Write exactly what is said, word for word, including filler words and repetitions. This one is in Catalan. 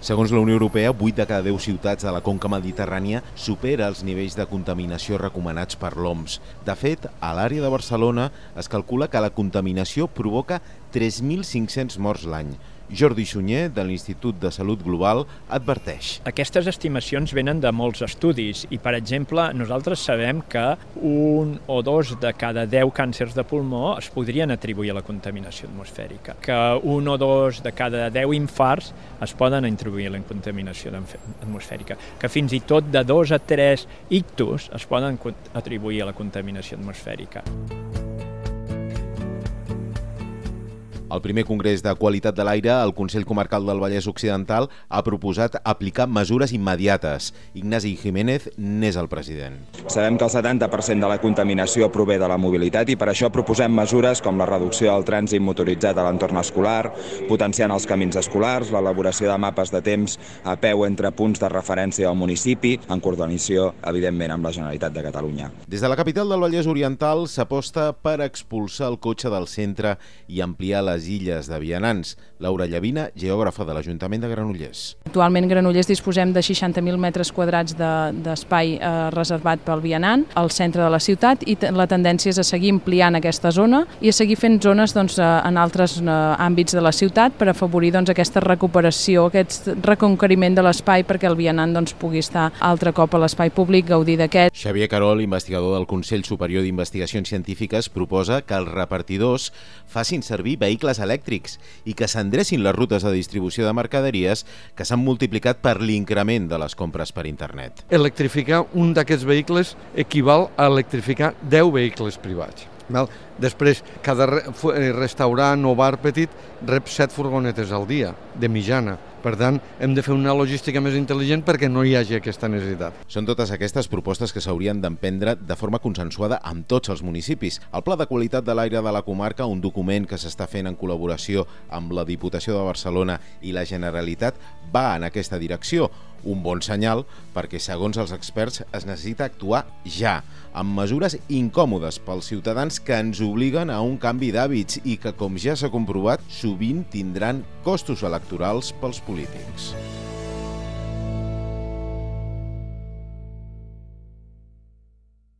Segons la Unió Europea, vuit de cada deu ciutats de la conca mediterrània supera els nivells de contaminació recomanats per l'O M S. De fet, a l'àrea de Barcelona es calcula que la contaminació provoca tres mil cinc-cents morts l'any. Jordi Sunyer, de l'Institut de Salut Global, adverteix. Aquestes estimacions venen de molts estudis i, per exemple, nosaltres sabem que un o dos de cada deu càncers de pulmó es podrien atribuir a la contaminació atmosfèrica, que un o dos de cada deu infarts es poden atribuir a la contaminació atmosfèrica, que fins i tot de dos a tres ictus es poden atribuir a la contaminació atmosfèrica. Al primer Congrés de Qualitat de l'Aire, el Consell Comarcal del Vallès Occidental ha proposat aplicar mesures immediates. Ignasi Jiménez n'és el president. Sabem que el setanta per cent de la contaminació prové de la mobilitat i per això proposem mesures com la reducció del trànsit motoritzat a l'entorn escolar, potenciant els camins escolars, l'elaboració de mapes de temps a peu entre punts de referència del municipi, en coordinació, evidentment, amb la Generalitat de Catalunya. Des de la capital del Vallès Oriental s'aposta per expulsar el cotxe del centre i ampliar les illes de vianants. Laura Llavina, geògrafa de l'Ajuntament de Granollers. Actualment a Granollers disposem de seixanta mil metres quadrats d'espai de, eh, reservat pel vianant al centre de la ciutat i la tendència és a seguir ampliant aquesta zona i a seguir fent zones doncs, en altres eh, àmbits de la ciutat per afavorir doncs, aquesta recuperació, aquest reconqueriment de l'espai perquè el vianant doncs, pugui estar altre cop a l'espai públic, gaudir d'aquest. Xavier Carol, investigador del Consell Superior d'Investigacions Científiques, proposa que els repartidors facin servir vehicles elèctrics i que s'endrecin les rutes de distribució de mercaderies que s'han multiplicat per l'increment de les compres per internet. Electrificar un d'aquests vehicles equival a electrificar deu vehicles privats. Val? Després, cada restaurant o bar petit rep set furgonetes al dia, de mitjana. Per tant, hem de fer una logística més intel·ligent perquè no hi hagi aquesta necessitat. Són totes aquestes propostes que s'haurien d'emprendre de forma consensuada amb tots els municipis. El Pla de Qualitat de l'Aire de la comarca, un document que s'està fent en col·laboració amb la Diputació de Barcelona i la Generalitat, va en aquesta direcció. Un bon senyal perquè, segons els experts, es necessita actuar ja, amb mesures incòmodes pels ciutadans que ens obliguen a un canvi d'hàbits i que, com ja s'ha comprovat, sovint tindran costos electorals pels polítics.